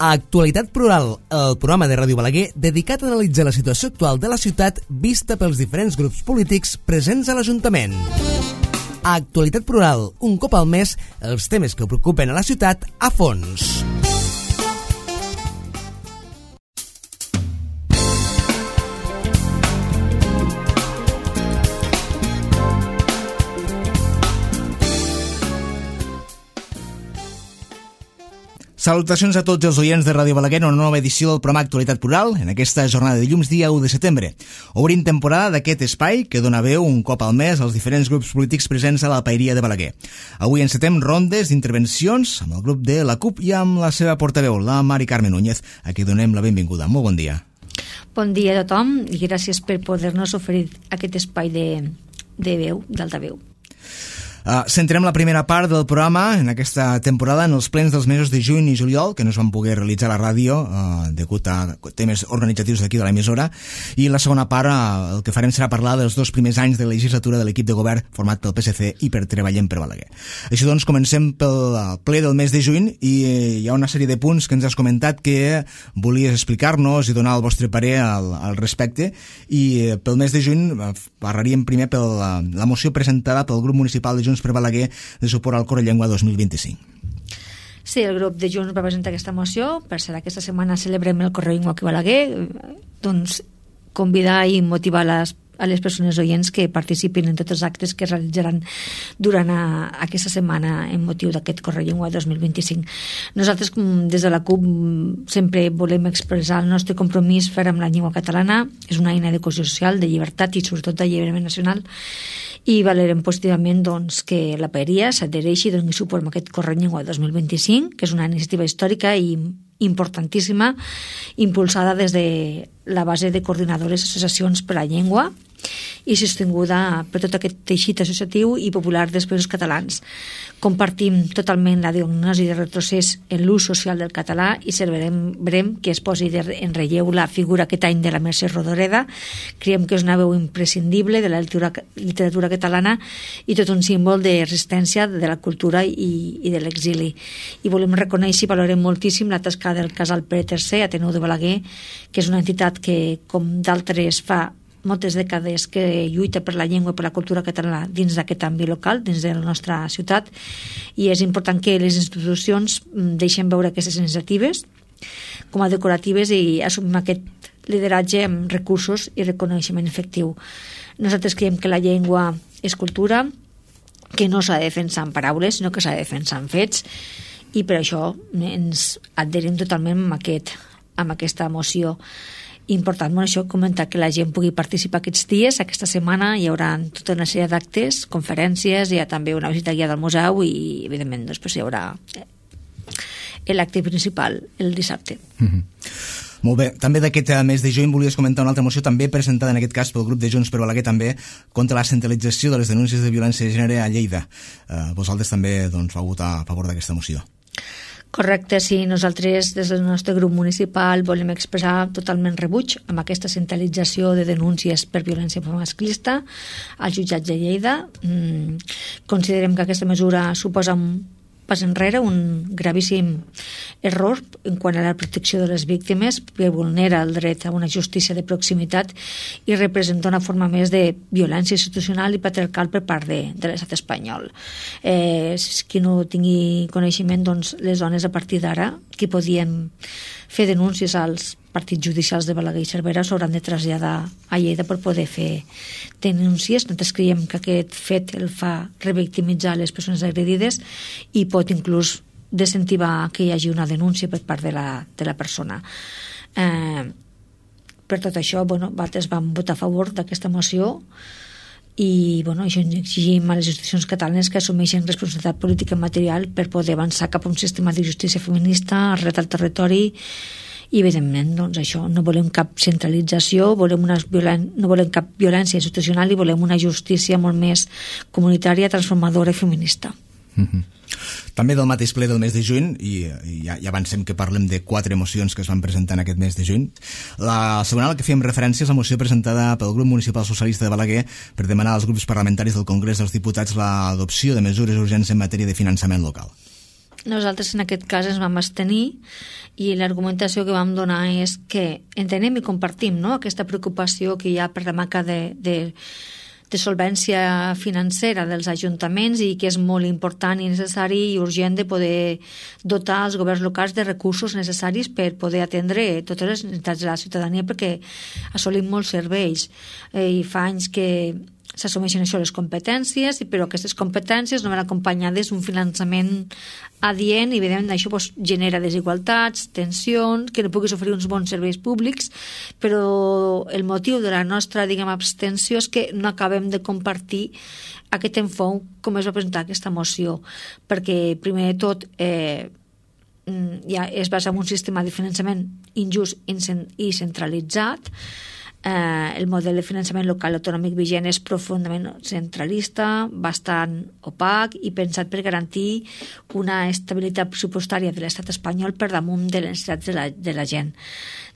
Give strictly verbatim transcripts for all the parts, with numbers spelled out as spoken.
Actualitat Plural, el programa de Ràdio Balaguer dedicat a analitzar la situació actual de la ciutat vista pels diferents grups polítics presents a l'Ajuntament. Actualitat Plural, un cop al mes, els temes que preocupen a la ciutat a fons. Salutacions a tots els oients de Ràdio Balaguer en una nova edició del programa Actualitat Plural en aquesta jornada de dilluns dia u de setembre. Obrim temporada d'aquest espai que dona veu un cop al mes als diferents grups polítics presents a la Paeria de Balaguer. Avui encetem rondes d'intervencions amb el grup de la CUP i amb la seva portaveu, la Mari Carme Núñez, a qui donem la benvinguda. Molt bon dia. Bon dia a tothom i gràcies per poder-nos oferir aquest espai de, de veu, d'altaveu. Uh, centrem la primera part del programa en aquesta temporada en els plens dels mesos de juny i juliol, que no es van poder realitzar a la ràdio uh, degut a temes organitzatius d'aquí de l'emissora, i la segona part uh, el que farem serà parlar dels dos primers anys de legislatura de l'equip de govern format pel P S C i per Treballem per Balaguer. Així doncs, comencem pel ple del mes de juny i hi ha una sèrie de punts que ens has comentat que volies explicar-nos i donar el vostre parer al, al respecte, i pel mes de juny uh, parlaríem primer per la, la moció presentada pel grup municipal de Junts per Balaguer de suport al Correllengua dos mil vint-i-cinc. Sí, el grup de Junts va presentar aquesta moció. Per ser aquesta setmana celebrem el Correllengua aquí a Balaguer, doncs convidar i motivar les a les persones oients que participin en tots els actes que es realitzaran durant a, aquesta setmana en motiu d'aquest Correllengua dos mil vint-i-cinc. Nosaltres, des de la CUP, sempre volem expressar el nostre compromís fer amb la llengua catalana. És una eina de cohesió social, de llibertat i sobretot d'alliberament nacional, i valorem positivament doncs, que la Paeria s'adhereixi i doni suport a aquest Correllengua dos mil vint-i-cinc, que és una iniciativa històrica i importantíssima, impulsada des de la base de coordinadores associacions per la llengua i sostinguda per tot aquest teixit associatiu i popular dels països catalans. Compartim totalment la diagnosi de retrocés en l'ús social del català i celebrem que es posi en relleu la figura aquest any de la Mercè Rodoreda. Creiem que és una veu imprescindible de la literatura, literatura catalana i tot un símbol de resistència de la cultura i, i de l'exili. I volem reconèixer i valorem moltíssim la tasca del Casal Pere tercer, Ateneu de Balaguer, que és una entitat que, com d'altres, fa moltes dècades que lluita per la llengua i per la cultura catalana dins d'aquest àmbit local, dins de la nostra ciutat, i és important que les institucions deixen veure aquestes iniciatives com a decoratives i assumim aquest lideratge amb recursos i reconeixement efectiu. Nosaltres creiem que la llengua és cultura, que no s'ha de defensar en paraules, sinó que s'ha de defensar en fets, i per això ens adherim totalment amb, aquest, amb aquesta moció. Important, bueno, això, comentar que la gent pugui participar aquests dies. Aquesta setmana hi haurà tota una sèrie d'actes, conferències, hi ha també una visita guiada al museu i, evidentment, després hi haurà l'acte principal el dissabte. Mm-hmm. Molt bé. També d'aquest mes de juny volies comentar una altra moció també presentada en aquest cas pel grup de Junts per Balaguer també contra la centralització de les denúncies de violència de gènere a Lleida. Eh, vosaltres també doncs, vau votar a favor d'aquesta moció. Correcte, sí. Nosaltres des del nostre grup municipal volem expressar totalment rebuig amb aquesta centralització de denúncies per violència masclista als jutjats de Lleida. Mm, considerem que aquesta mesura suposa un pas enrere, un gravíssim error en quant a la protecció de les víctimes, que vulnera el dret a una justícia de proximitat i representa una forma més de violència institucional i patriarcal per part de, de l'estat espanyol. Eh, qui no tingui coneixement, doncs les dones a partir d'ara que podien fer denúncies als partits judicials de Balaguer i Cervera s'hauran de traslladar a Lleida per poder fer denúncies. Nosaltres creiem que aquest fet el fa revictimitzar les persones agredides i pot inclús desincentivar que hi hagi una denúncia per part de la, de la persona. Eh, per tot això, bueno, nosaltres vam votar a favor d'aquesta moció i bueno, això exigim a les institucions catalanes que assumeixen responsabilitat política i material per poder avançar cap a un sistema de justícia feminista arrelat al territori. I evidentment, doncs això, no volem cap centralització, volem una violen... no volem cap violència institucional i volem una justícia molt més comunitària, transformadora i feminista. Mm-hmm. També del mateix ple del mes de juny, i, i ja, ja avancem que parlem de quatre mocions que es van presentar en aquest mes de juny. La segona, a la que fèiem referència, és la moció presentada pel grup municipal socialista de Balaguer per demanar als grups parlamentaris del Congrés dels Diputats l'adopció de mesures urgents en matèria de finançament local. nosaltres en aquest cas ens vam abstenir i l'argumentació que vam donar és que entenem i compartim, no?, aquesta preocupació que hi ha per la manca de, de, de solvència financera dels ajuntaments i que és molt important i necessari i urgent de poder dotar els governs locals de recursos necessaris per poder atendre totes les necessitats de la ciutadania, perquè assolim molts serveis eh, i fa anys que s'assumeixen això les competències, però aquestes competències no van acompanyades d'un finançament adient i evidentment això pues, genera desigualtats, tensions, que no puguis oferir uns bons serveis públics, però el motiu de la nostra, diguem, abstenció és que no acabem de compartir aquest enfoc com es va presentar aquesta moció, perquè primer de tot eh, ja es basa en un sistema de finançament injust i centralitzat. Eh, el model de finançament local autonòmic vigent és profundament centralista, bastant opac i pensat per garantir una estabilitat pressupostària de l'estat espanyol per damunt de les necessitats de la, de la gent.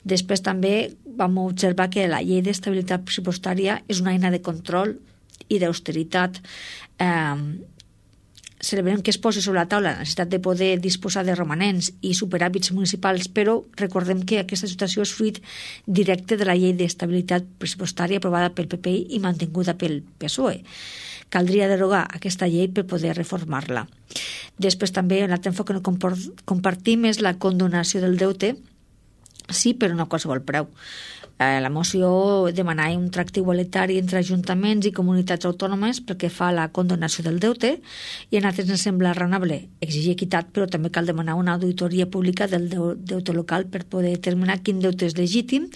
Després també vam observar que la llei d'estabilitat pressupostària és una eina de control i d'austeritat. Eh, celebrem que es posi sobre la taula la necessitat de poder disposar de romanents i superàvits municipals, però recordem que aquesta situació és fruit directe de la llei d'estabilitat pressupostària aprovada pel P P I i mantinguda pel P S O E. Caldria derogar aquesta llei per poder reformar-la. Després també un altre enfoc que no compartim és la condonació del deute, sí, però no a qualsevol preu. La moció demanava un tracte igualitari entre ajuntaments i comunitats autònomes pel que fa a la condonació del deute i a nosaltres ens sembla raonable exigir equitat, però també cal demanar una auditoria pública del deute local per poder determinar quin deute és legítim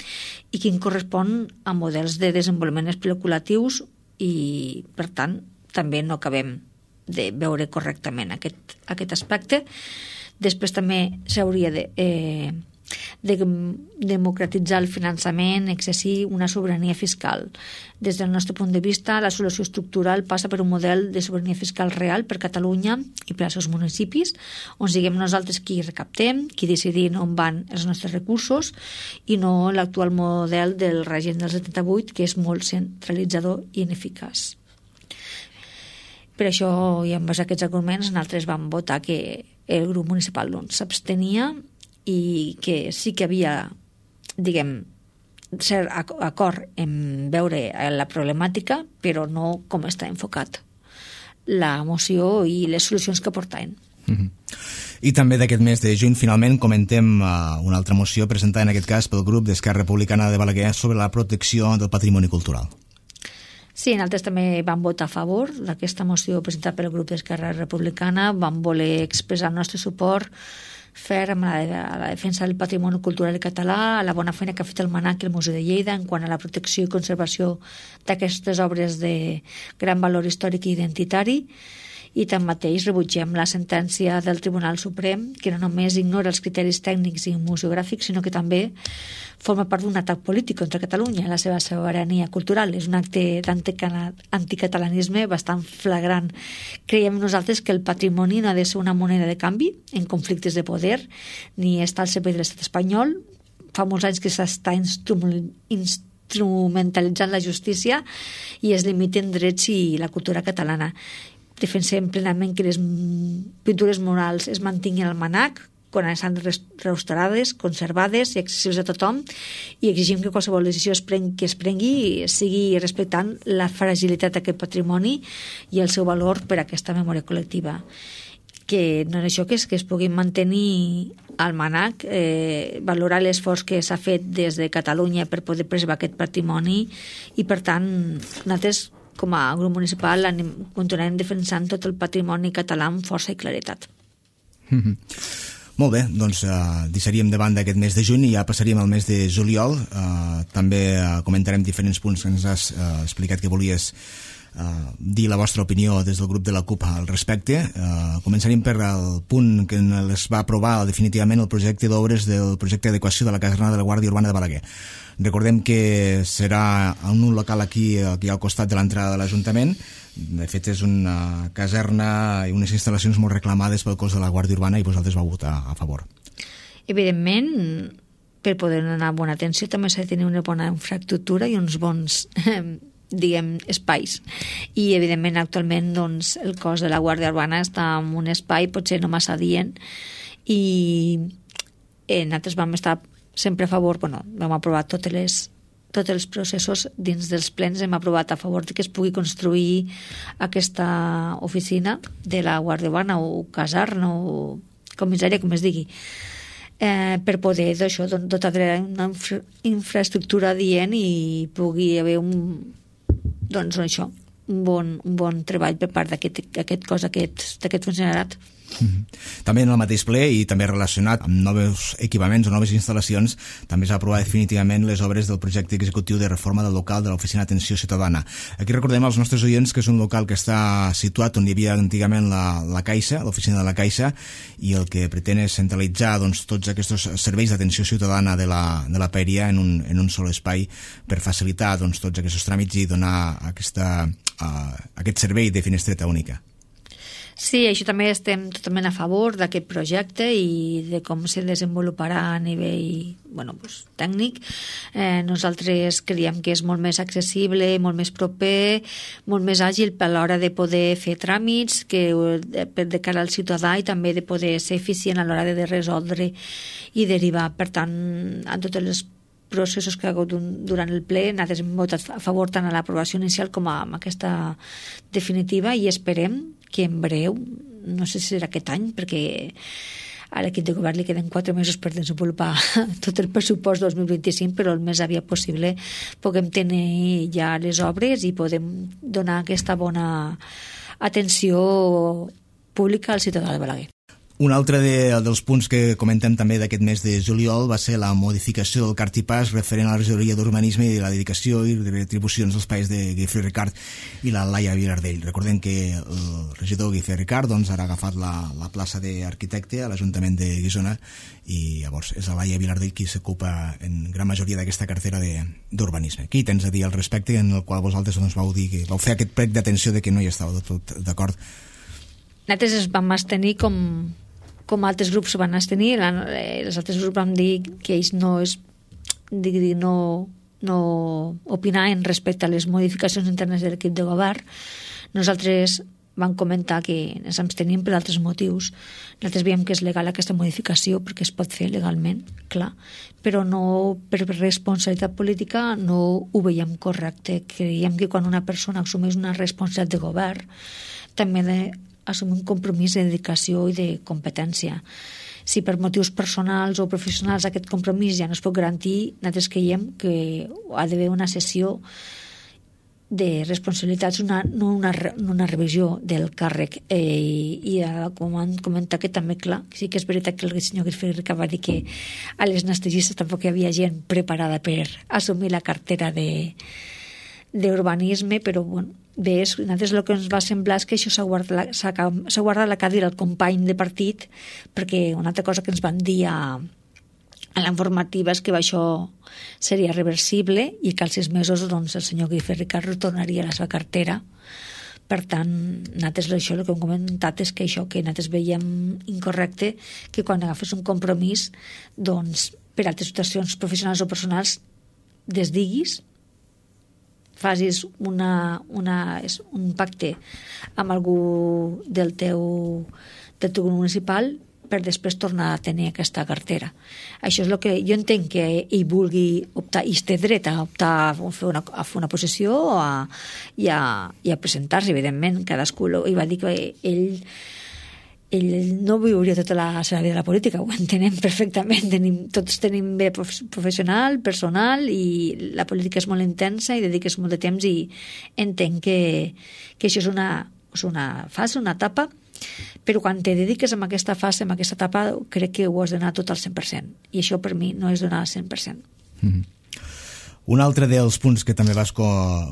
i quin correspon a models de desenvolupament especulatius i, per tant, també no acabem de veure correctament aquest, aquest aspecte. Després també s'hauria de... Eh, de democratitzar el finançament, exercir una sobirania fiscal. Des del nostre punt de vista, la solució estructural passa per un model de sobirania fiscal real per Catalunya i per als seus municipis, on siguem nosaltres qui recaptem, qui decidim on van els nostres recursos i no l'actual model del règim del setanta-vuit, que és molt centralitzador i ineficaç. Per això, i amb aquests arguments, nosaltres vam votar que el grup municipal doncs, s'abstenia i que sí que havia, diguem, cert acord en veure la problemàtica, però no com està enfocat la moció i les solucions que portaven. Mm-hmm. I també d'aquest mes de juny finalment comentem uh, una altra moció presentada en aquest cas pel grup d'Esquerra Republicana de Balaguer sobre la protecció del patrimoni cultural. Sí, nosaltres també vam votar a favor d'aquesta moció presentada pel grup d'Esquerra Republicana, vam voler expressar el nostre suport ferm a la, a la defensa del patrimoni cultural català, a la bona feina que ha fet el MANAC i el Museu de Lleida en quant a la protecció i conservació d'aquestes obres de gran valor històric i identitari, i tanmateix rebutgem la sentència del Tribunal Suprem, que no només ignora els criteris tècnics i museogràfics, sinó que també forma part d'un atac polític contra Catalunya, la seva sobirania cultural. És un acte d'anticatalanisme bastant flagrant. Creiem nosaltres que el patrimoni no ha de ser una moneda de canvi en conflictes de poder, ni està al servei de l'estat espanyol. Fa molts anys que s'està instrumentalitzant la justícia i es limiten drets i la cultura catalana. Defensem plenament que les pintures murals es mantinguin al MANAC quan estan restaurades, conservades i accessibles a tothom, i exigim que qualsevol decisió es prengui, que es prengui sigui respectant la fragilitat d'aquest patrimoni i el seu valor per a aquesta memòria col·lectiva. Que no és això, que es, que es pugui mantenir al MANAC, eh, valorar l'esforç que s'ha fet des de Catalunya per poder preservar aquest patrimoni, i per tant nosaltres com a grup municipal anem, continuarem defensant tot el patrimoni català amb força i claretat. Mm-hmm. Molt bé, doncs uh, deixaríem de banda aquest mes de juny i ja passaríem al mes de juliol. Uh, també uh, comentarem diferents punts que ens has uh, explicat que volies uh, dir la vostra opinió des del grup de la CUP al respecte. Uh, començaríem per el punt que es va aprovar definitivament el projecte d'obres del projecte d'adequació de la caserna de la Guàrdia Urbana de Balaguer. Recordem que serà en un local aquí, aquí al costat de l'entrada de l'Ajuntament. De fet, és una caserna i unes instal·lacions molt reclamades pel cos de la Guàrdia Urbana i vosaltres vau votar a favor. Evidentment, per poder donar bona atenció també s'ha de tenir una bona infraestructura i uns bons diguem, espais. I, evidentment, actualment, doncs, el cos de la Guàrdia Urbana està en un espai potser no massa adient i eh, nosaltres vam estar sempre a favor, bueno, vam aprovar totes les tots els processos dins dels plens, hem aprovat a favor de que es pugui construir aquesta oficina de la Guàrdia Urbana o caserna o comissària, com es digui, eh, per poder d'això dotar una infra infraestructura adient i pugui haver un, doncs això, un bon, un bon treball per part d'aquest cos, d'aquest funcionariat. Mm-hmm. També en el mateix ple i també relacionat amb nous equipaments o noves instal·lacions, també s'ha aprovat definitivament les obres del projecte executiu de reforma del local de l'Oficina d'Atenció Ciutadana. Aquí recordem als nostres oients que és un local que està situat on hi havia antigament la, la Caixa, l'oficina de la Caixa, i el que pretén és centralitzar doncs, tots aquests serveis d'atenció ciutadana de la, de la Paeria en un, en un sol espai per facilitar doncs, tots aquests tràmits i donar aquesta, uh, aquest servei de finestreta única. Sí, això també estem totalment a favor d'aquest projecte i de com se desenvoluparà a nivell bueno, pues, tècnic. Eh, nosaltres creiem que és molt més accessible, molt més proper, molt més àgil a l'hora de poder fer tràmits que de, de cara al ciutadà i també de poder ser eficient a l'hora de resoldre i derivar. Per tant, en totes les processos que ha hagut durant el ple, nosaltres hem votat a favor tant a l'aprovació inicial com a aquesta definitiva i esperem que en breu, no sé si serà aquest any, perquè a l'equip de govern li queden quatre mesos per desenvolupar tot el pressupost dos mil vint-i-cinc, però el més aviat possible puguem tenir ja les obres i podem donar aquesta bona atenció pública al ciutadà de Balaguer. Un altre de, dels punts que comentem també d'aquest mes de juliol va ser la modificació del cartipàs referent a la regidoria d'urbanisme i la dedicació i retribucions dels païs de Guifré Ricard i la Laia Vilardell. Recordem que el regidor Guifré Ricard doncs, ara ha agafat la, la plaça d'arquitecte a l'Ajuntament de Guissona i llavors és la Laia Vilardell qui s'ocupa en gran majoria d'aquesta cartera d'urbanisme. Què hi tens a dir al respecte en el qual vosaltres doncs, vau dir que vau fer aquest prec d'atenció de que no hi estàveu de tot d'acord? Nosaltres es vam abstenir com com altres grups van abstenir, els altres grups van dir que ells no es no, no opinaven respecte a les modificacions internes de l'equip de govern. Nosaltres vam comentar que ens abstenim per altres motius. Nosaltres veiem que és legal aquesta modificació perquè es pot fer legalment, clar, però no per responsabilitat política no ho veiem correcte. Creiem que quan una persona assumeix una responsabilitat de govern també de assumir un compromís de dedicació i de competència. Si per motius personals o professionals aquest compromís ja no es pot garantir, nosaltres creiem que ha d'haver una sessió de responsabilitats, una, no una, una revisió del càrrec. Eh, I, i com han comentat que també, clar, sí que és veritat que el senyor Guifré Ricard va dir que a les anestesistes tampoc hi havia gent preparada per assumir la cartera de d'urbanisme, però bueno, bé, nosaltres el que ens va semblar és que això s'ha guardat, guardat la cadira al company de partit, perquè una altra cosa que ens van dir a, a la informativa és que això seria reversible i que als sis mesos doncs, el senyor Guifré Ricard retornaria a la seva cartera. Per tant, nosaltres això el que hem comentat és que això que nosaltres veiem incorrecte, que quan agafes un compromís doncs, per altres situacions professionals o personals desdiguis, facis una, una, un pacte amb algú del teu, del teu municipal per després tornar a tenir aquesta cartera. Això és el que jo entenc que ell vulgui optar, i té dret a optar a fer una, a fer una possessió a, i a, i a presentar-se, evidentment. Cadascú ell va dir que ell ell no viuria tota la seva vida de la política, ho entenem perfectament, tenim, tots tenim bé professional, personal, i la política és molt intensa i dediques molt de temps i entenc que, que això és una, és una fase, una etapa, però quan te dediques a aquesta fase, a aquesta etapa, crec que ho has d'anar tot al cent per cent, i això per mi no és donar al cent per cent. Mm-hmm. Un altre dels punts que també vas co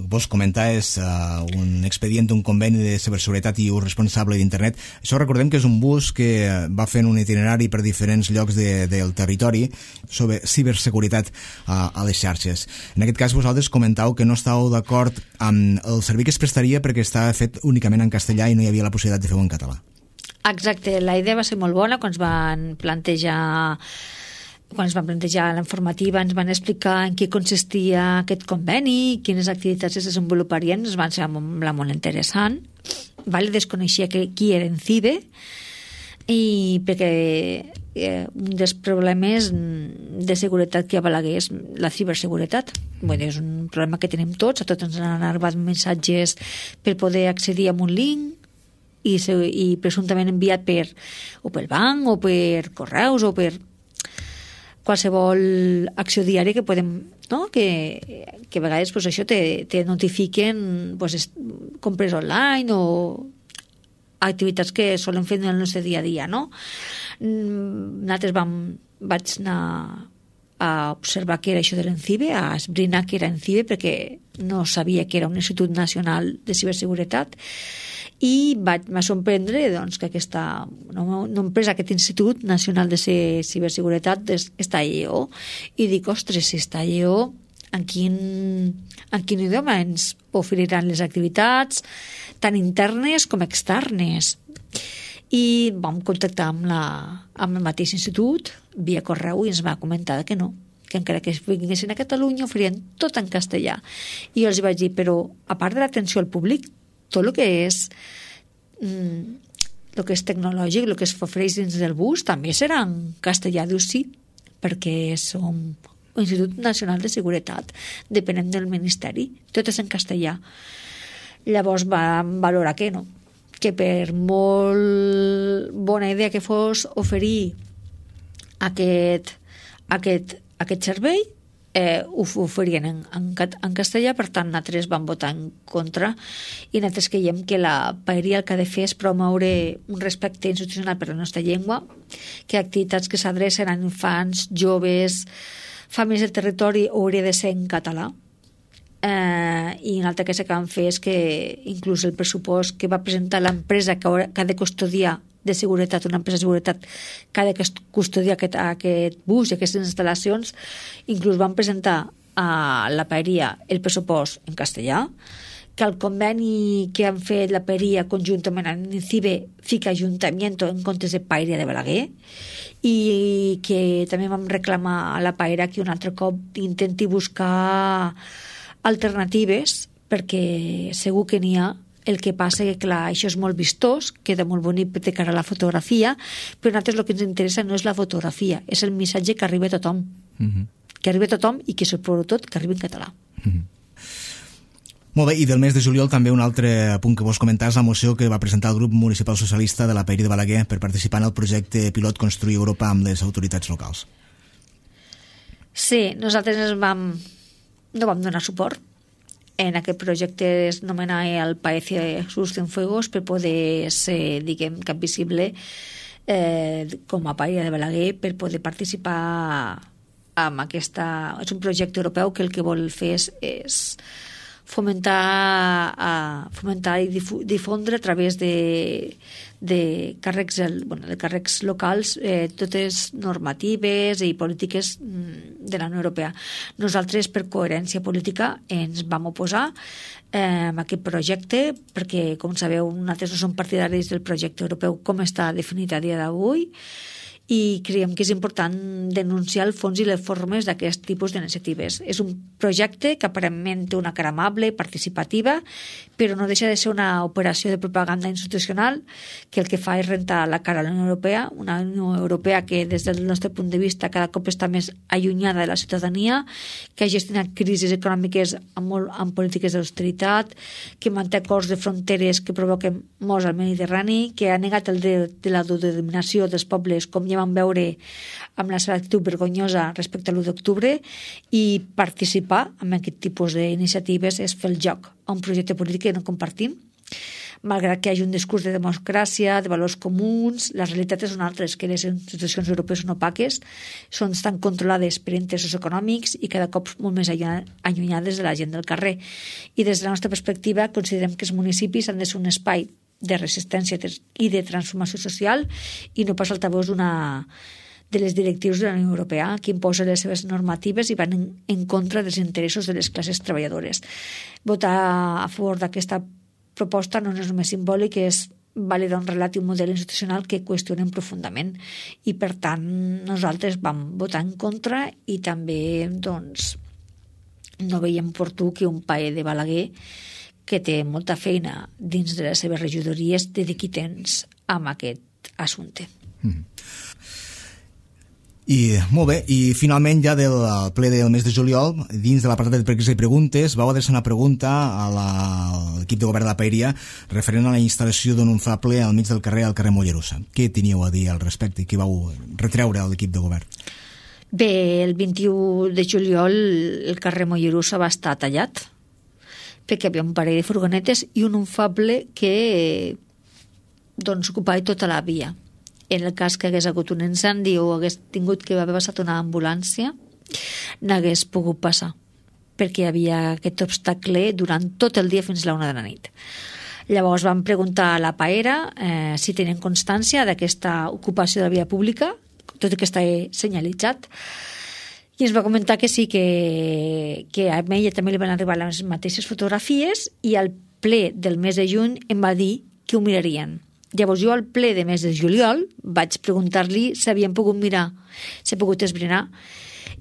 vos comentar és uh, un expedient d'un conveni de ciberseguretat i ús responsable d'internet. Això recordem que és un bus que va fent un itinerari per diferents llocs de, del territori sobre ciberseguretat uh, a les xarxes. En aquest cas vosaltres comentau que no estàveu d'acord amb el servei que es prestaria perquè estava fet únicament en castellà i no hi havia la possibilitat de fer-ho en català. Exacte, la idea va ser molt bona quan es van plantejar quan es van plantejar la informativa ens van explicar en què consistia aquest conveni, quines activitats es desenvoluparien, ens van semblar molt interessant. Vale? Desconeixia que, qui era ENCIBE, i perquè eh, un dels problemes de seguretat que hi ha a Balaguer és la ciberseguretat. Bueno, és un problema que tenim tots, a tots ens han arribat missatges per poder accedir a un link i, i presumptament enviat per, o pel banc o per correus o per qualsevol acció diària que podem, no? que, que a vegades pues, això te, te notifiquen pues, compres online o activitats que solen fer en el nostre dia a dia, no? Nosaltres vam, vaig anar a observar què era això de l'ENCIBE, a esbrinar què era ENCIBE, perquè no sabia que era un Institut Nacional de Ciberseguretat, i vaig me sorprendre doncs, que aquesta no, no empresa, aquest Institut Nacional de Ciberseguretat està a Lleó, i dic, ostres, si està a Lleó, en quin, en quin idioma ens oferiran les activitats tant internes com externes? I vam contactar amb, la, amb el mateix institut via correu i ens va comentar que no, que encara que vinguessin a Catalunya oferien tot en castellà. I jo els vaig dir, però a part de l'atenció al públic, tot el que és mm, el que és tecnològic, el que es ofereix dins del bus també serà en castellà. Diu sí, perquè som un Institut Nacional de Seguretat, depenent del Ministeri, tot és en castellà. Llavors vam valorar que no, que per molt bona idea que fos oferir aquest, aquest, aquest servei, eh, ho oferien en, en, en castellà, per tant nosaltres vam votar en contra i nosaltres creiem que la paeria el que ha de fer és promoure un respecte institucional per la nostra llengua, que activitats que s'adrecen a infants, joves, famílies del territori hauria de ser en català. Eh, i una altra cosa que vam fer és que inclús el pressupost que va presentar l'empresa que, haurà, que ha de custodiar de seguretat, una empresa de seguretat que ha de custodiar aquest, aquest bus i aquestes instal·lacions, inclús van presentar a la paeria el pressupost en castellà, que el conveni que han fet la paeria conjuntament amb l'ENCIBE fica Ayuntamiento en comptes de Paeria de Balaguer, i que també vam reclamar a la paera que un altre cop intenti buscar alternatives, perquè segur que n'hi ha. El que passa que, clar, això és molt vistós, queda molt bonic de cara a la fotografia, però a nosaltres el que ens interessa no és la fotografia, és el missatge que arriba a tothom. Uh-huh. Que arriba a tothom i que, sobretot, que arribi en català. Uh-huh. Molt bé, i del mes de juliol també un altre punt que vols comentar és la moció que va presentar el grup municipal socialista de la Paeria de Balaguer per participar en el projecte pilot Construir Europa amb les autoritats locals. Sí, nosaltres vam, no vam donar suport. En aquest projecte es nomenava el Paece Sus Cienfuegos per poder ser, diguem, cap visible eh, com a Paeria de Balaguer, per poder participar amb aquesta... És un projecte europeu que el que vol fer és, és fomentar, a, fomentar i difondre a través de, de càrrecs, bueno, de càrrecs locals eh, totes normatives i polítiques de la Unió Europea. Nosaltres, per coherència política, ens vam oposar eh, a aquest projecte perquè, com sabeu, nosaltres no som partidaris del projecte europeu com està definit a dia d'avui, i creiem que és important denunciar el fons i les formes d'aquest tipus d'iniciatives. És un projecte que aparentment té una cara amable, participativa, però no deixa de ser una operació de propaganda institucional que el que fa és rentar la cara a la Unió Europea, una Unió Europea que des del nostre punt de vista cada cop està més allunyada de la ciutadania, que ha gestionat crisis econòmiques amb, molt, amb polítiques d'austeritat, que manté acords de fronteres que provoquen morts al Mediterrani, que ha negat el dret de l'autodeterminació dels pobles, com ja vam veure amb la seva actitud vergonyosa respecte a l'u d'octubre, i participar en aquest tipus d'iniciatives és fer el joc a un projecte polític que no compartim. Malgrat que hi hagi un discurs de democràcia, de valors comuns, les realitats són altres, que les institucions europees són opaques, són tan controlades per interessos econòmics i cada cop molt més allunyades de la gent del carrer. I des de la nostra perspectiva considerem que els municipis han de ser un espai de resistència i de transformació social i no pas altavós d'una de les directrius de la Unió Europea que imposa les seves normatives i van en, en contra dels interessos de les classes treballadores. Votar a favor d'aquesta proposta no és només simbòlic, és validar un relat i un model institucional que qüestionen profundament, i per tant nosaltres vam votar en contra i també doncs no veiem oportú que un paer de Balaguer que té molta feina dins de les seves regidories dediqui temps a aquest assumpte. Mm. I molt bé, i finalment ja del ple del mes de juliol, dins de l'apartat de preguntes i preguntes, vau adreçar una pregunta a l'equip de govern de la Paeria referent a la instal·lació d'un inflable al mig del carrer, al carrer Mollerussa. Què teníeu a dir al respecte i què vau retreure a l'equip de govern? Bé, el vint-i-u de juliol el carrer Mollerussa va estar tallat perquè hi havia un parell de furgonetes i un inflable que doncs ocupava tota la via. En el cas que hagués hagut un incendi o hagués tingut que haver passat una ambulància, n'hagués pogut passar, perquè hi havia aquest obstacle durant tot el dia fins a la una de la nit. Llavors vam preguntar a la Paera eh, si tenen constància d'aquesta ocupació de la via pública, tot i que està senyalitzat, i ens va comentar que sí, que, que a ella també li van arribar les mateixes fotografies, i al ple del mes de juny em va dir que ho mirarien. Llavors jo al ple de mes de juliol vaig preguntar-li si havien pogut mirar, si ha pogut esbrinar,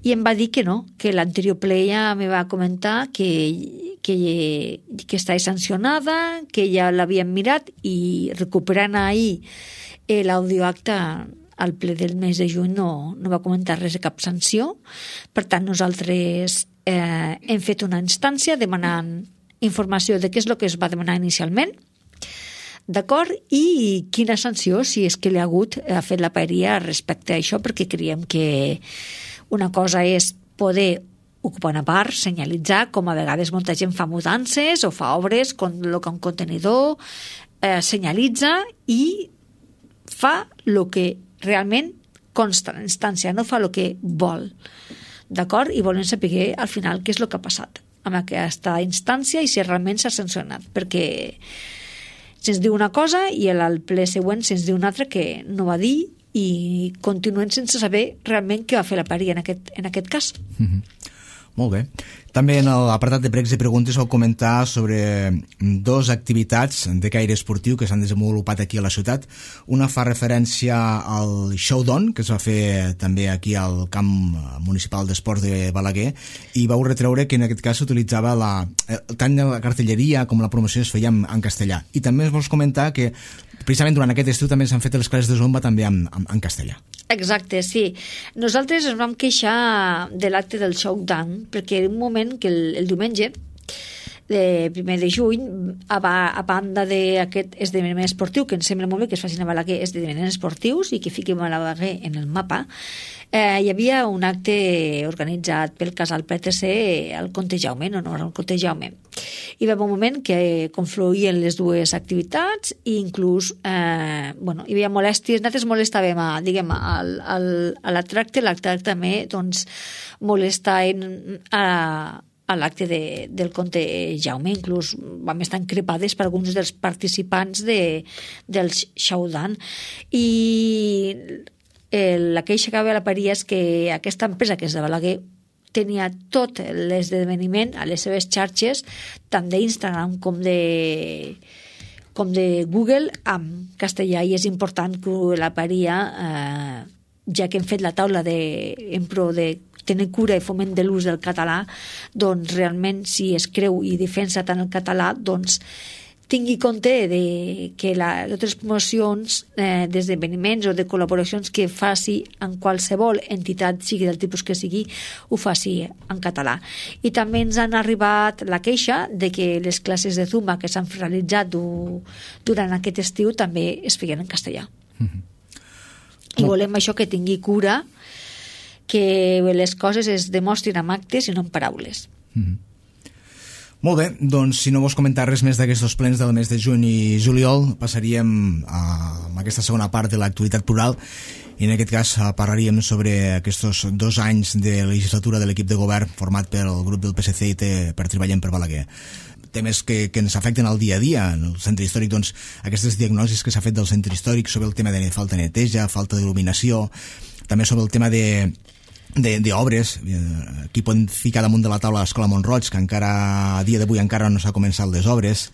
i em va dir que no, que l'anterior ple ja me va comentar que, que, que estava sancionada, que ja l'havien mirat, i recuperant ahir l'audioacte al ple del mes de juny no, no va comentar res de cap sanció. Per tant, nosaltres eh, hem fet una instància demanant informació de què és el que es va demanar inicialment, d'acord, i quina sanció, si és que li ha hagut, ha fet la Paeria respecte a això, perquè creiem que una cosa és poder ocupar una part, senyalitzar, com a vegades molta gent fa mudances o fa obres, col·loca un contenidor, eh, senyalitza i fa el que realment consta en instància, no fa el que vol, d'acord? I volem saber al final què és el que ha passat amb aquesta instància i si realment s'ha sancionat, perquè se'ns diu una cosa i al ple següent se'ns diu una altra que no va dir, i continuem sense saber realment què va fer la Paeria en aquest, en aquest cas. Mm-hmm. Molt bé. També en l'apartat de pregs i preguntes vau comentar sobre dos activitats de caire esportiu que s'han desenvolupat aquí a la ciutat. Una fa referència al Showdown, que es va fer també aquí al camp municipal d'esports de Balaguer, i vau retreure que en aquest cas s'utilitzava la, tant la cartelleria com la promoció es feia en, en castellà. I també es vols comentar que precisament durant aquest estiu també s'han fet les classes de zumba també en, en, en castellà. Exacte, sí. Nosaltres ens vam queixar de l'acte del Showdown perquè en un moment que el, el diumenge de primer de juny, a, a banda d'aquest esdeveniment esportiu, que ens sembla molt bé que es facin a Balaguer esdeveniments esportius i que fiquem a Balaguer en el mapa, eh, hi havia un acte organitzat pel casal P T C al Comte Jaume, en honor al Comte Jaume. Hi va haver un moment que confluïen les dues activitats i inclús eh, bueno, hi havia molèsties, nosaltres molestàvem a, diguem, al, al, a la tracte, l'acte també doncs, molestaven a a l'acte de, del Comte Jaume, inclús vam estar encrepades per alguns dels participants de, del Showdown. I el, la queixa que va a la Paeria és que aquesta empresa, que és de Balaguer, tenia tot l'esdeveniment a les seves xarxes, tant d'Instagram com de com de Google, amb castellà, i és important que la Paeria, eh, ja que hem fet la taula de, en pro de tenir cura i foment de l'ús del català, doncs realment si es creu i defensa tant el català, doncs tingui compte de que la, les promocions eh, d'esdeveniments o de col·laboracions que faci en qualsevol entitat, sigui del tipus que sigui, ho faci en català. I també ens han arribat la queixa de que les classes de Zumba que s'han realitzat du, durant aquest estiu també es feien en castellà. Mm-hmm. I volem això, que tingui cura, que les coses es demostrin amb actes i no amb paraules. Mm-hmm. Molt bé, doncs si no vols comentar res més d'aquests plens del mes de juny i juliol, passaríem a, a aquesta segona part de l'actualitat plural, i en aquest cas parlaríem sobre aquests dos anys de legislatura de l'equip de govern format pel grup del P S C i T per Treballem per Balaguer. Temes que, que ens afecten al dia a dia. En el centre històric, doncs, aquestes diagnosis que s'ha fet del centre històric sobre el tema de falta de neteja, falta d'il·luminació, també sobre el tema de d'obres. Aquí podem ficar damunt de la taula l'Escola Montroig, que encara a dia d'avui encara no s'ha començat les obres,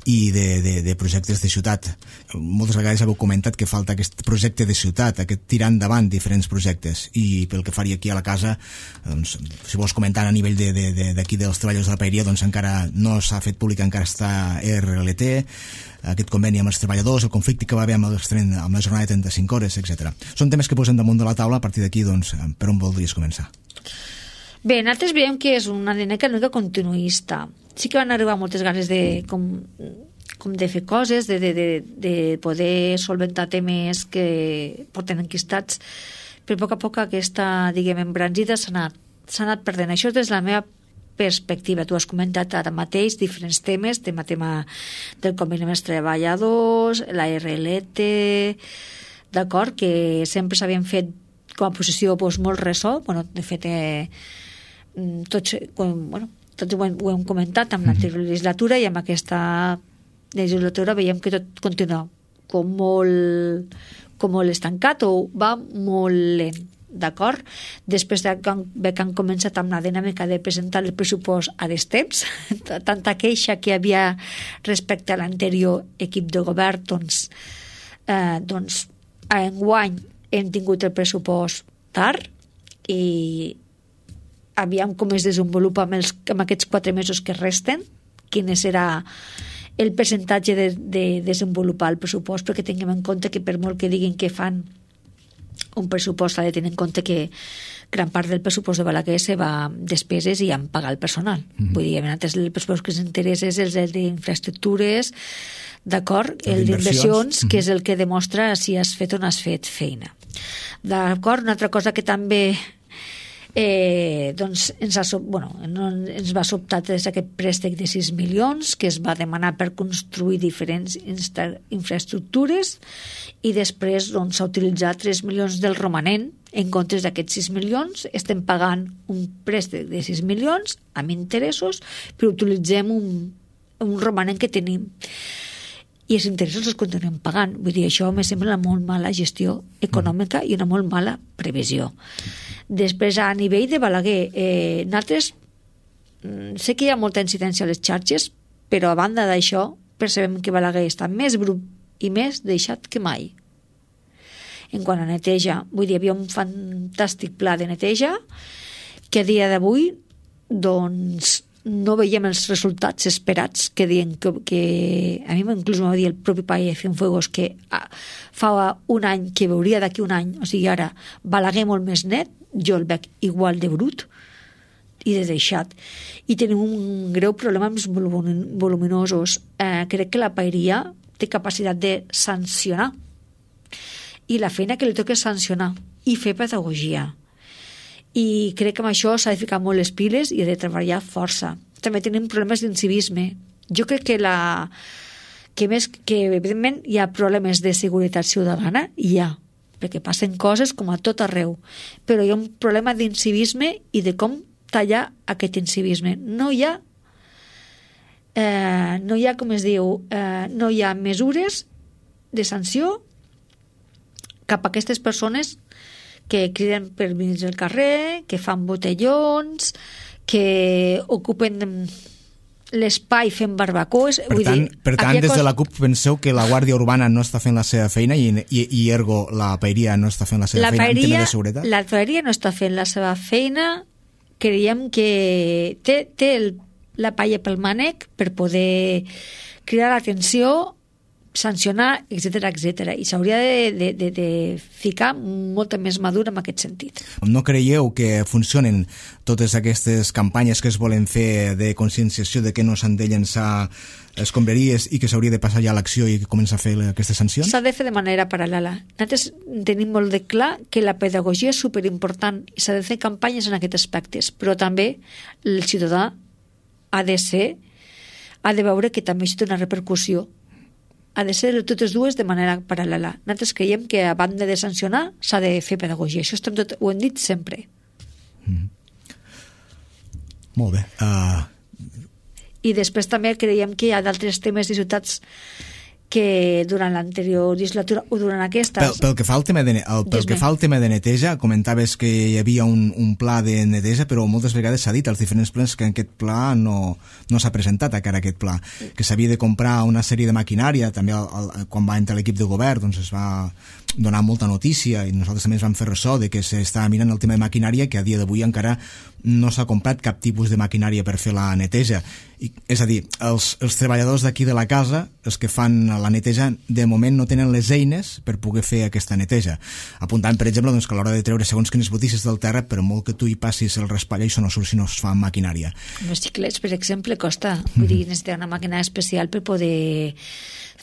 i de, de, de projectes de ciutat. Moltes vegades heu comentat que falta aquest projecte de ciutat, aquest tirar endavant diferents projectes, i pel que faria aquí a la casa, doncs, si vols comentar a nivell d'aquí de, de, de, dels treballadors de la paeria, doncs encara no s'ha fet públic, encara està R L T, aquest conveni amb els treballadors, el conflicte que va haver amb, els, amb la jornada de trenta-cinc hores, etcètera. Són temes que posem damunt de la taula. A partir d'aquí, doncs, per on voldries començar? Bé, nosaltres veiem que és una dinàmica una mica continuista. Sí que van arribar moltes ganes de, com, com de fer coses, de, de, de, de poder solventar temes que porten enquistats, però a poc a poc aquesta, diguem, embranzida s'ha anat, s'ha anat perdent. Això és la meva perspectiva. Tu has comentat ara mateix diferents temes, tema, tema del conveni amb els treballadors, la R L T, d'acord, que sempre s'havien fet com a posició doncs, molt ressò. Bueno, de fet, eh, tots, bueno, tots ho hem, ho hem comentat amb l'anterior legislatura, i amb aquesta legislatura veiem que tot continua com molt, com molt estancat o va molt lent. D'acord? Després de que han, que han començat amb la dinàmica de presentar el pressupost a destemps, tanta queixa que hi havia respecte a l'anterior equip de govern, doncs, eh, doncs enguany hem tingut el pressupost tard i aviam com es desenvolupa amb, els, amb aquests quatre mesos que resten, quin serà el percentatge de, de desenvolupar el pressupost, perquè tinguem en compte que per molt que diguin que fan un pressupost, s'ha de tenir en compte que gran part del pressupost de Balaguer se va despeses i en pagar el personal. Mm-hmm. Vull dir, antes el pressupost que ens interessa és el d'infraestructures, d'acord? El d'inversions, mm-hmm. que és el que demostra si has fet o no has fet feina. D'acord? Una altra cosa que també eh, doncs ens, ha, bueno, no, ens va sobtar des d'aquest préstec de sis milions que es va demanar per construir diferents insta, infraestructures, i després doncs, s'ha utilitzat tres milions del romanent. En comptes d'aquests sis milions estem pagant un préstec de sis milions amb interessos, però utilitzem un, un romanent que tenim i els interessos els continuem pagant. Vull dir, això me sembla una molt mala gestió econòmica i una molt mala previsió. Després, a nivell de Balaguer, eh, nosaltres sé que hi ha molta incidència a les xarxes, però a banda d'això percebem que Balaguer està més brut i més deixat que mai. En quant a neteja, vull dir, hi havia un fantàstic pla de neteja que a dia d'avui doncs no veiem els resultats esperats que diuen que, que a mi inclús m'ho va dir el propi país Cienfuegos que fa un any que veuria d'aquí un any, o sigui ara Balaguer molt més net, jo el veig igual de brut i de deixat, i tenim un greu problema amb els voluminosos. Eh, crec que la paeria té capacitat de sancionar, i la feina que li toca és sancionar i fer pedagogia. I crec que amb això s'ha de ficar molt les piles i ha de treballar força. També tenim problemes d'incivisme. Jo crec que la que més que evidentment hi ha problemes de seguretat ciutadana, hi ha, perquè passen coses com a tot arreu, però hi ha un problema d'incivisme i de com tallar aquest incivisme. No hi ha eh, no hi ha, com es diu, eh, no hi ha mesures de sanció cap a aquestes persones que criden per venir al carrer, que fan botellons, que ocupen l'espai fent barbacoes. Per Vull tant, dir, per tant des cosa... de la CUP penseu que la Guàrdia Urbana no està fent la seva feina i, i, i ergo la paeria no està fent la seva la feina paeria, en tema de seguretat? La paeria no està fent la seva feina. Creiem que té, té el, la palla pel mànec per poder cridar l'atenció, sancionar, etcètera, etcètera, i s'hauria de, de, de, de ficar molta més madura en aquest sentit. No creieu que funcionen totes aquestes campanyes que es volen fer de conscienciació de que no s'han de llençar escombraries i que s'hauria de passar ja a l'acció i començar a fer aquestes sancions? S'ha de fer de manera paral·lela. Nosaltres tenim molt de clar que la pedagogia és superimportant i s'ha de fer campanyes en aquests aspectes, però també el ciutadà ha de ser, ha de veure que també això té una repercussió. Ha de ser totes dues de manera paral·lela. Nosaltres creiem que a banda de sancionar s'ha de fer pedagogia. Això estem tot, ho hem dit sempre. Mm. Molt bé. Uh... I després també creiem que hi ha d'altres temes de ciutats que durant l'anterior legislatura o durant aquesta... Pel, pel, que fa al tema de, el, pel que fa al tema de neteja, comentaves que hi havia un, un pla de neteja, però moltes vegades s'ha dit als diferents plens que aquest pla no, no s'ha presentat encara aquest pla, que s'havia de comprar una sèrie de maquinària, també el, el, quan va entrar l'equip de govern doncs es va donar molta notícia i nosaltres també ens vam fer ressò de que s'estava mirant el tema de maquinària, que a dia d'avui encara no s'ha comprat cap tipus de maquinària per fer la neteja. I, és a dir, els, els treballadors d'aquí de la casa, els que fan la neteja, de moment no tenen les eines per poder fer aquesta neteja. Apuntant, per exemple, doncs, que a l'hora de treure segons quines botisses del terra, per molt que tu hi passis el raspall, això no surt si no es fa amb maquinària. Els xiclets, per exemple, costa. Vull dir, necessita una màquina especial per poder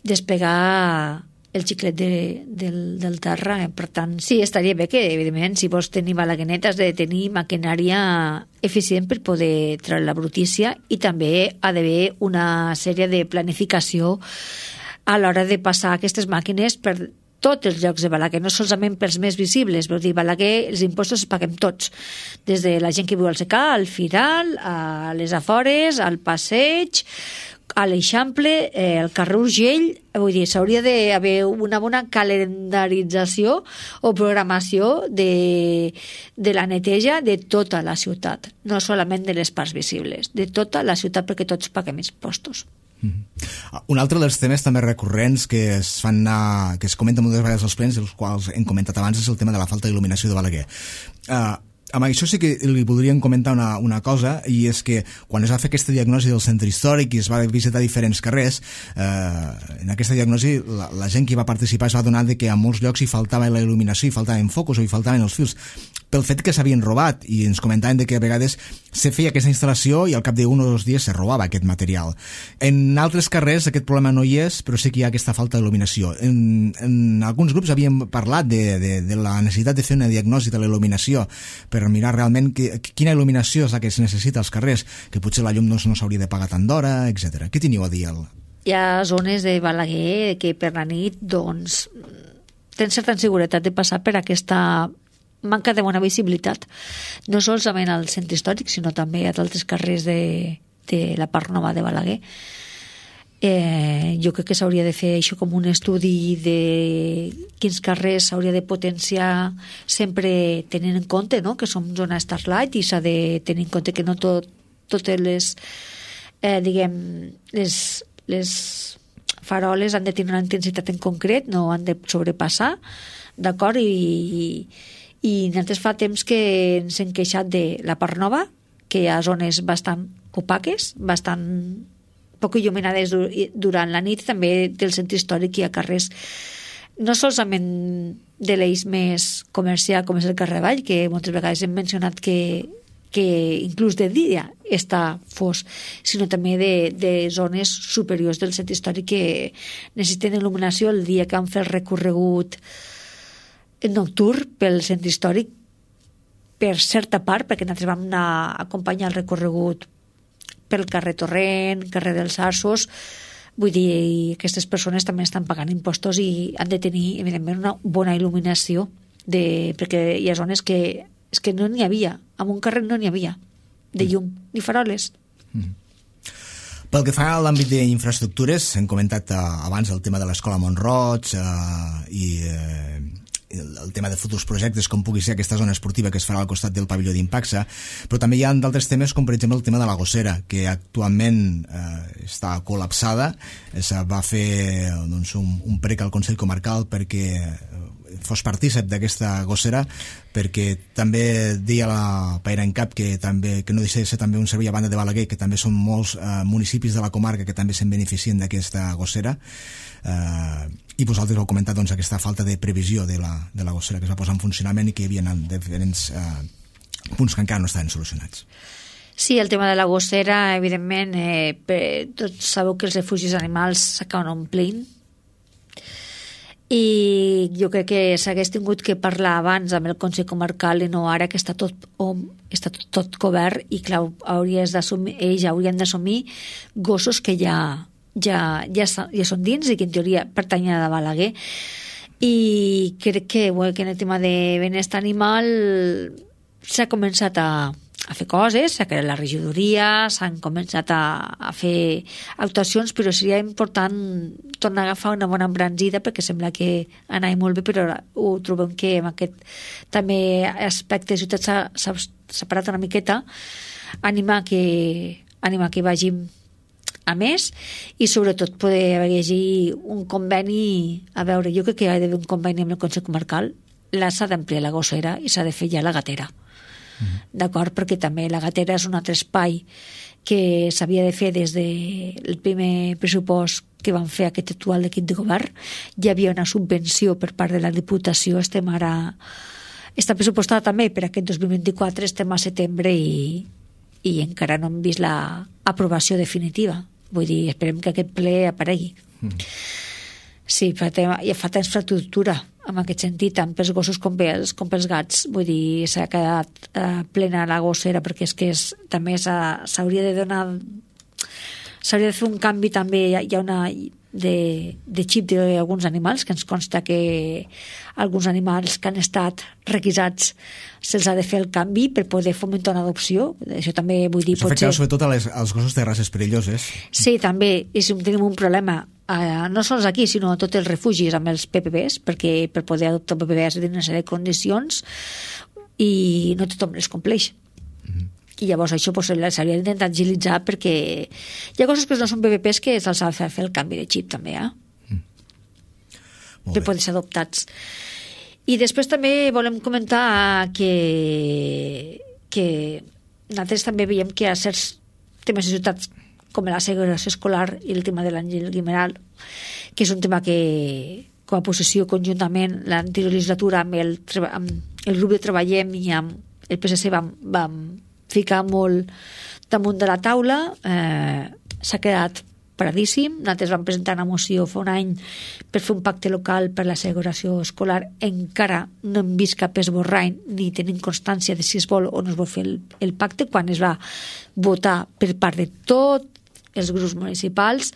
desplegar el xiclet de, del, del terra. Per tant, sí, estaria bé que, evidentment, si vols tenir balaguenet, has de tenir maquinària eficient per poder treure la brutícia, i també ha d'haver una sèrie de planificació a l'hora de passar aquestes màquines per tots els llocs de Balaguer, no solament pels més visibles. Vull dir, Balaguer, els impostos els paguem tots, des de la gent que viu al secà, al Firal, a les afores, al passeig, a l'Eixample, eh, al carrer Urgell. Vull dir, s'hauria d'haver una bona calendarització o programació de, de la neteja de tota la ciutat, no solament de les parts visibles, de tota la ciutat, perquè tots paguem impostos. Mm-hmm. Un altre dels temes també recurrents que es fan anar, que es comenta moltes vegades als plens, els quals hem comentat abans, és el tema de la falta d'il·luminació de Balaguer. Uh, amb això sí que li voldríem comentar una, una cosa, i és que quan es va fer aquesta diagnosi del centre històric i es va visitar diferents carrers, eh, en aquesta diagnosi la, la gent que hi va participar es va adonar de que a molts llocs hi faltava la il·luminació, hi faltaven focus o hi faltaven els fils, pel fet que s'havien robat, i ens comentaven de que a vegades se feia aquesta instal·lació i al cap d'un o dos dies se robava aquest material. En altres carrers aquest problema no hi és, però sí que hi ha aquesta falta d'il·luminació. En, en alguns grups havíem parlat de, de, de la necessitat de fer una diagnosi de la il·luminació per mirar realment que, quina il·luminació és la que es necessita als carrers, que potser la llum no, no s'hauria de pagar tant d'hora, etcètera. Què teniu a dir? El... Hi ha zones de Balaguer que per la nit doncs tens certa inseguretat de passar per aquesta manca de bona visibilitat, no solament al centre històric, sinó també a d'altres carrers de, de la part nova de Balaguer. Eh, jo crec que s'hauria de fer això com un estudi de quins carrers s'hauria de potenciar, sempre tenint en compte, no?, que som zona Starlight, i s'ha de tenir en compte que no tot, totes les eh, diguem les, les faroles han de tenir una intensitat en concret, no han de sobrepassar, d'acord? I, i nosaltres fa temps que ens hem queixat de la part nova, que hi ha zones bastant opaques, bastant poc il·luminades durant la nit, també del centre històric hi ha carrers no solament de l'eix més comercial com és el carrer Vall, que moltes vegades hem mencionat que, que inclús de dia està fos, sinó també de, de zones superiors del centre històric que necessiten il·luminació el dia que han fet el recorregut nocturn pel centre històric per certa part, perquè nosaltres vam anar a acompanyar el recorregut pel carrer Torrent, carrer dels Arços. Vull dir, aquestes persones també estan pagant impostos i han de tenir, evidentment, una bona il·luminació, de, perquè hi ha zones que, és que no n'hi havia, en un carrer no n'hi havia de llum, ni faroles. Mm. Pel que fa a l'àmbit d'infraestructures, hem comentat uh, abans el tema de l'escola Mont-roig uh, i uh, el, el tema de futurs projectes, com pugui ser aquesta zona esportiva que es farà al costat del pavelló d'Impaxa, però també hi ha d'altres temes, com per exemple el tema de la gossera, que actualment eh, està col·lapsada. Es va fer doncs, un, un prec al Consell Comarcal perquè fos partícip d'aquesta gossera, perquè també deia la Paera en Cap que, també, que no deixa de ser també un servei a banda de Balaguer, que també són molts eh, municipis de la comarca que també se'n beneficien d'aquesta gossera. Eh, i vosaltres heu comentat doncs, aquesta falta de previsió de la, de la gossera que es va posar en funcionament i que hi havia diferents eh, punts que encara no estaven solucionats. Sí, el tema de la gossera, evidentment, eh, per, tots sabeu que els refugis animals s'acaben omplint, i jo crec que s'hagués tingut que parlar abans amb el Consell Comarcal i no ara, que està tot, om, està tot, tot cobert, i clar, hauries d'assumir, ells haurien d'assumir gossos que ja Ja, ja, ja són dins i que en teoria pertanyen a Balaguer, i crec que, bueno, que en el tema de benestar animal s'ha començat a, a fer coses, s'ha creat la regidoria, s'han començat a, a fer actuacions, però seria important tornar a agafar una bona embranzida perquè sembla que anava molt bé, però ho trobem que amb aquest també aspecte de ciutat s'ha, s'ha separat una miqueta. Anima que, anima que vagin a més i sobretot poder llegir un conveni, a veure, jo crec que hi ha d'haver un conveni amb el Consell Comarcal, la s'ha d'ampliar la gossera i s'ha de fer ja la gatera. Mm-hmm. D'acord? Perquè també la gatera és un altre espai que s'havia de fer des del primer pressupost que van fer aquest actual equip de govern. Hi havia una subvenció per part de la Diputació, estem ara està pressupostada també per aquest dos mil vint-i-quatre, estem a setembre i, i encara no hem vist l'aprovació definitiva. Vull dir, esperem que aquest ple aparegui. Mm. Sí, fa, ja fa temps infraestructura, en aquest sentit, tant pels gossos com pels, com pels gats. Vull dir, s'ha quedat eh, plena la gossera, perquè és que és, també s'hauria de donar... S'hauria de fer un canvi també, hi ha, hi ha una... de, de xip d'alguns animals, que ens consta que alguns animals que han estat requisats se'ls ha de fer el canvi per poder fomentar una adopció. Això també vull dir... Això afecta sobretot a les, als gossos de races perilloses. Sí, també, i si tenim un problema eh, no sols aquí, sinó a tots els refugis amb els P P Bs, perquè per poder adoptar P P Bs ha de una sèrie de condicions i no tothom les compleix. Mm-hmm. I llavors això pues, s'hauria d'intentar agilitzar perquè hi ha coses que no són P P Ps que se'ls ha de fer el canvi de xip també, eh? Mm. Per poder ser adoptats. I després també volem comentar que que nosaltres també veiem que hi ha certs temes de ciutats com la segregació escolar i el tema de l'Àngel Guimeral, que és un tema que com a posició conjuntament l'anterior legislatura amb el, amb el grup de Treballem i amb el P S C vam, vam ficar molt damunt de la taula, eh, s'ha quedat paradíssim. Nosaltres vam presentar una moció fa un any per fer un pacte local per la segregació escolar, encara no hem vist cap esborrany ni tenim constància de si es vol o no es vol fer el, el pacte, quan es va votar per part de tots els grups municipals.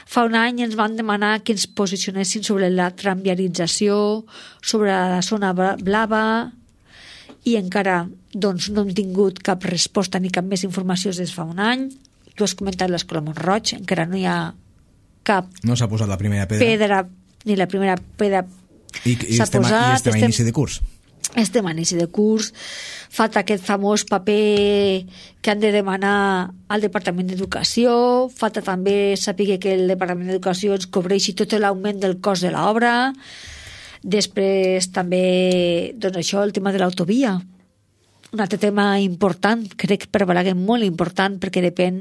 Fa un any ens van demanar que ens posicionessin sobre la tramviarització, sobre la zona blava, i encara doncs, no hem tingut cap resposta ni cap més informació des de fa un any. Tu has comentat l'escola Mont-roig, encara no hi ha cap no s'ha posat la primera pedra, pedra ni la primera pedra I, i s'ha estem, posat. I estem a inici de curs. Estem a inici de curs. Falta aquest famós paper que han de demanar al Departament d'Educació. Falta també saber que el Departament d'Educació ens cobreixi tot l'augment del cost de l'obra. Després també, doncs això, el tema de l'autovia. Un altre tema important, crec per Balaguer molt important, perquè depèn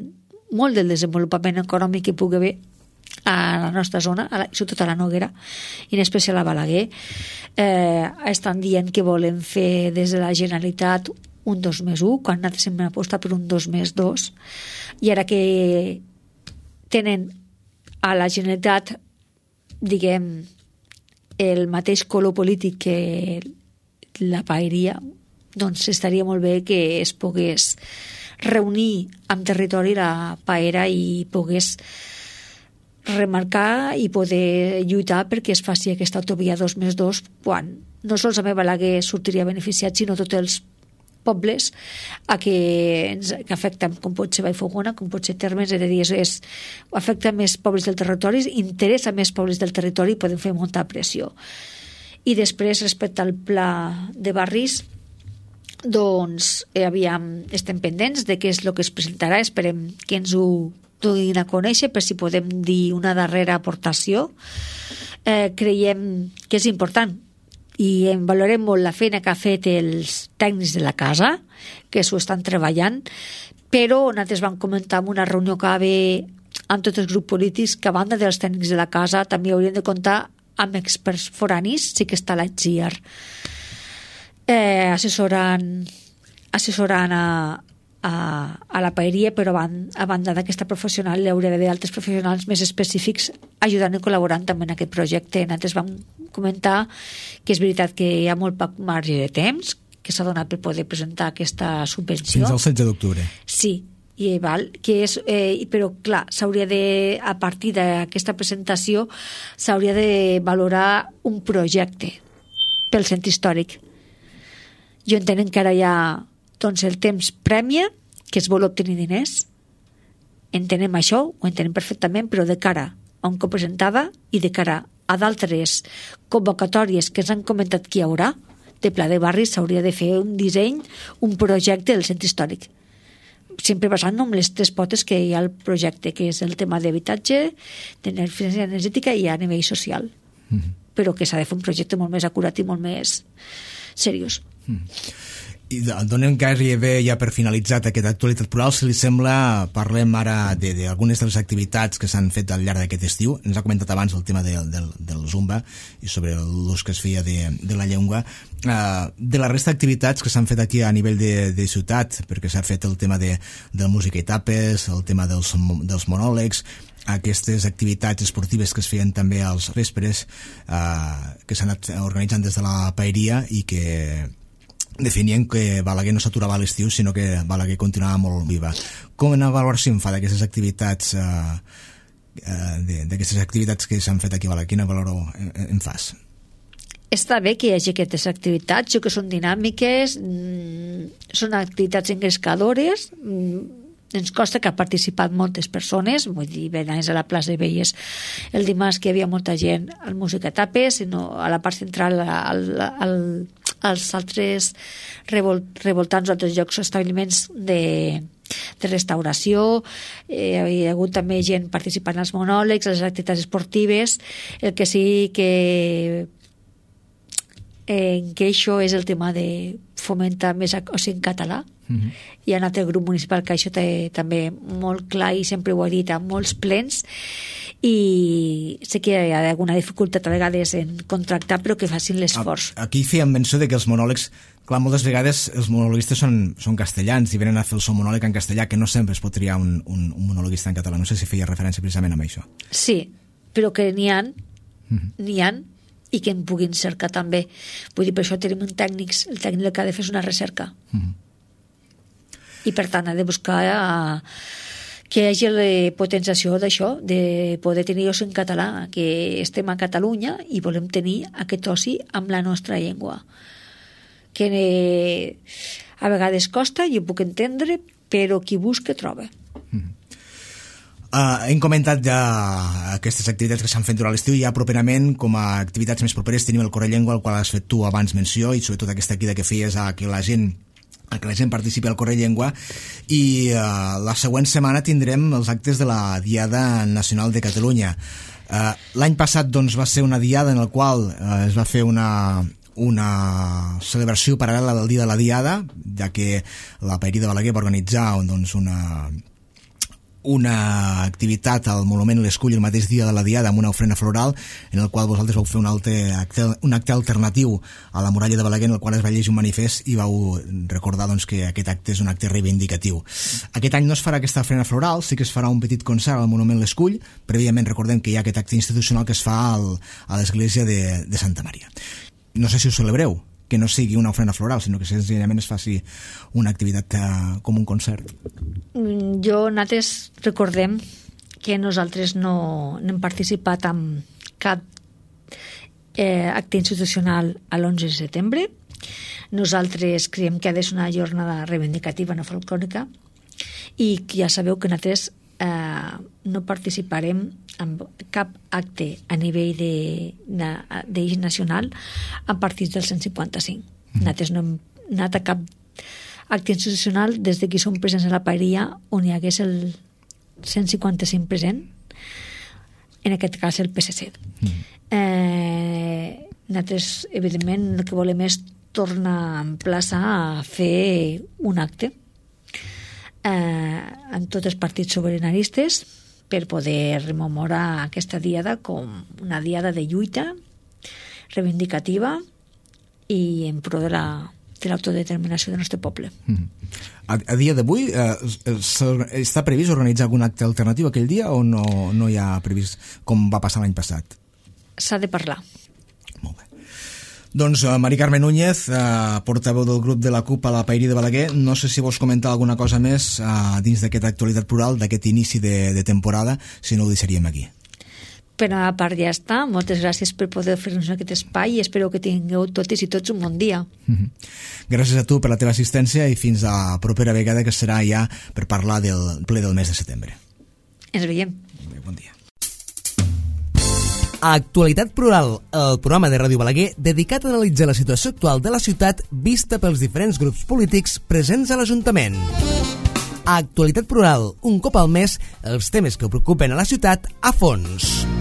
molt del desenvolupament econòmic que pugui haver a la nostra zona, a la, sobretot a la Noguera, i en especial a Balaguer. Eh, estan dient que volen fer des de la Generalitat un dos més un, quan nosaltres hem apostat per un dos més dos, i ara que tenen a la Generalitat, diguem, el mateix color polític que la paeria, doncs estaria molt bé que es pogués reunir amb territori la paera i pogués remarcar i poder lluitar perquè es faci aquesta autovia dos més dos, quan no sols a Balaguer sortiria beneficiat, sinó tots els pobles a que, ens, que afecten, com pot ser Vallfogona, com pot ser Termes, és a dir, és, afecta més pobles del territori, interessa més pobles del territori i podem fer molta pressió. I després, respecte al pla de barris, doncs, eh, aviam, estem pendents de què és el que es presentarà, esperem que ens ho donin a conèixer per si podem dir una darrera aportació. Eh, creiem que és important i en valorem molt la feina que ha fet els tècnics de la casa, que s'ho estan treballant, però nosaltres vam comentar en una reunió que va haver amb tots els grups polítics que a banda dels tècnics de la casa també haurien de comptar amb experts foranis, sí que està l'A T G I A R eh, assessorant assessorant a, a, a la paeria, però a, a banda d'aquesta professional hi hauria d'haver altres professionals més específics ajudant i col·laborant també en aquest projecte. Nosaltres vam comentar que és veritat que hi ha molt poc marge de temps que s'ha donat per poder presentar aquesta subvenció. Fins al setze d'octubre. Sí, i val, que és, eh, però clar, s'hauria de, a partir d'aquesta presentació s'hauria de valorar un projecte pel centre històric. Jo entenc que ara hi ha doncs el temps premia, que es vol obtenir diners. Entenem això, ho entenem perfectament, però de cara a un cop presentada i de cara a d'altres convocatòries que ens han comentat que hi haurà, de Pla de Barris s'hauria de fer un disseny, un projecte del centre històric. Sempre basant en les tres potes que hi ha al projecte, que és el tema d'habitatge, d'eficiència energètica i a nivell social. Mm-hmm. Però que s'ha de fer un projecte molt més acurat i molt més seriós. Mm. I donem gairebé ja per finalitzat aquesta actualitat plural, si li sembla, parlem ara d'algunes de, de les activitats que s'han fet al llarg d'aquest estiu. Ens ha comentat abans el tema del, del, del Zumba i sobre l'ús que es feia de, de la llengua. Uh, de la resta d'activitats que s'han fet aquí a nivell de, de ciutat, perquè s'ha fet el tema de, de música i tapes, el tema dels, dels monòlegs, aquestes activitats esportives que es feien també als vespres, uh, que s'han anat organitzant des de la paeria i que definien que Balaguer no s'aturava a l'estiu, sinó que Balaguer continuava molt viva. Com una valoració en fa d'aquestes activitats uh, uh, d'aquestes activitats que s'han fet aquí a Balaguer? Quina valor en, en fas? Està bé que hi hagi aquestes activitats, jo que són dinàmiques, mmm, són activitats engrescadores, mmm, ens costa que ha participat moltes persones, vull dir, venies a la plaça i veies el dimarts que hi havia molta gent al Música Tapes, sinó a la part central, al, al, als altres revol, revoltants, altres llocs o establiments de, de restauració, eh, hi ha hagut també gent participant als monòlegs, a les activitats esportives, el que sí que en que això és el tema de fomentar més o sigui, en català. Uh-huh. Hi ha un altre grup municipal que això té també molt clar i sempre ho ha dit a molts plens, i sé que hi ha alguna dificultat a vegades en contractar, però que facin l'esforç. Aquí fèiem menció de que els monòlegs, clar, moltes vegades els monologuistes són, són castellans i venen a fer el seu monòleg en castellà, que no sempre es pot triar un, un, un monologuista en català. No sé si feia referència precisament a això. Sí, però que n'hi ha, uh-huh. n'hi ha, i que en puguin cercar també. Vull dir, per això tenim un tècnic, el tècnic el que ha de fer és una recerca. Uh-huh. I per tant ha de buscar uh, que hi hagi la potenciació d'això, de poder tenir oci en català, que estem a Catalunya i volem tenir aquest oci amb la nostra llengua. Que eh, a vegades costa, jo puc entendre, però qui busca troba. Uh-huh. Uh, hem comentat ja aquestes activitats que s'han fet durant l'estiu, i ja properament, com a activitats més properes, tenim el Correllengua, al qual has fet tu abans menció, i sobretot aquesta crida que feies a que la gent a que la gent participi al Correllengua. I uh, la següent setmana tindrem els actes de la Diada Nacional de Catalunya. Uh, l'any passat doncs, va ser una diada en la qual uh, es va fer una una celebració paral·lela del dia de la Diada, ja que la Paeria de Balaguer va organitzar doncs, una una activitat al Monument l'Escull el mateix dia de la Diada amb una ofrena floral, en el qual vosaltres vau fer un, altre acte, un acte alternatiu a la muralla de Balaguer, en el qual es va llegir un manifest i vau recordar doncs, que aquest acte és un acte reivindicatiu. Aquest any no es farà aquesta ofrena floral, sí que es farà un petit concert al Monument l'Escull. Prèviament recordem que hi ha aquest acte institucional que es fa al, a l'església de, de Santa Maria. No sé si ho celebreu, que no sigui una ofrena floral, sinó que senzillament es faci una activitat uh, com un concert. Jo, nosaltres recordem que nosaltres no, no hem participat en cap eh, acte institucional a l'onze de setembre. Nosaltres creiem que ha de ser una jornada reivindicativa, no folclòrica, i ja sabeu que nosaltres eh, no participarem en cap acte a nivell d'eix nacional a partir del cent cinquanta-cinc. Mm. Nosaltres no hem anat a cap acte institucional des de que som presents a la Paeria on hi hagués el cent cinquanta-cinc present, en aquest cas el P S C. Mm. Eh, nosaltres, evidentment, el que volem és tornar a emplaçar a fer un acte eh, en tots els partits sobiranistes per poder rememorar aquesta diada com una diada de lluita reivindicativa i en pro de la de l'autodeterminació del nostre poble. Mm. A, a dia d'avui eh, està previst organitzar algun acte alternatiu aquell dia o no, no hi ha previst com va passar l'any passat? S'ha de parlar. Molt bé. Doncs uh, Mari Carme Núñez, uh, portaveu del grup de la CUP a la Paeria de Balaguer, no sé si vols comentar alguna cosa més uh, dins d'aquesta actualitat plural, d'aquest inici de, de temporada, si no ho deixaríem aquí. Per a part ja està. Moltes gràcies per poder fer-nos aquest espai i espero que tingueu totes i tots un bon dia. Mm-hmm. Gràcies a tu per la teva assistència i fins a la propera vegada, que serà ja per parlar del ple del mes de setembre. Ens veiem. Bon dia. Actualitat Plural, el programa de Ràdio Balaguer dedicat a analitzar la situació actual de la ciutat vista pels diferents grups polítics presents a l'Ajuntament. Actualitat Plural, un cop al mes, els temes que preocupen a la ciutat a fons.